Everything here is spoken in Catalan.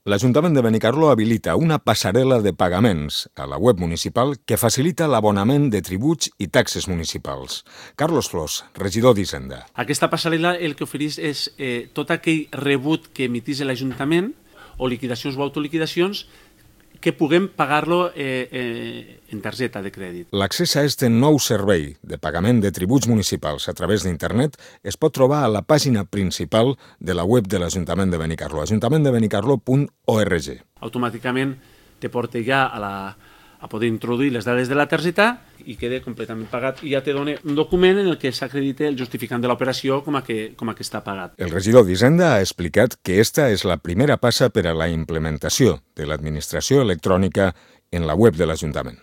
L'Ajuntament de Benicarló habilita una passarel·la de pagaments a la web municipal que facilita l'abonament de tributs i taxes municipals. Carlos Flors, regidor d'Hisenda. Aquesta passarel·la el que ofereix és tot aquell rebut que emitís l'Ajuntament o liquidacions o autoliquidacions que puguem pagar-lo en targeta de crèdit. L'accés a este nou servei de pagament de tributs municipals a través d'internet es pot trobar a la pàgina principal de la web de l'Ajuntament de Benicarló, ajuntamentdebenicarló.org. Automàticament te porta ja a poder introduir les dades de la targeta i queda completament pagat i ja te dona un document en el que s'acredita el justificant de l'operació com a que està pagat. El regidor d'Hisenda ha explicat que esta és la primera passa per a la implementació de l'administració electrònica en la web de l'Ajuntament.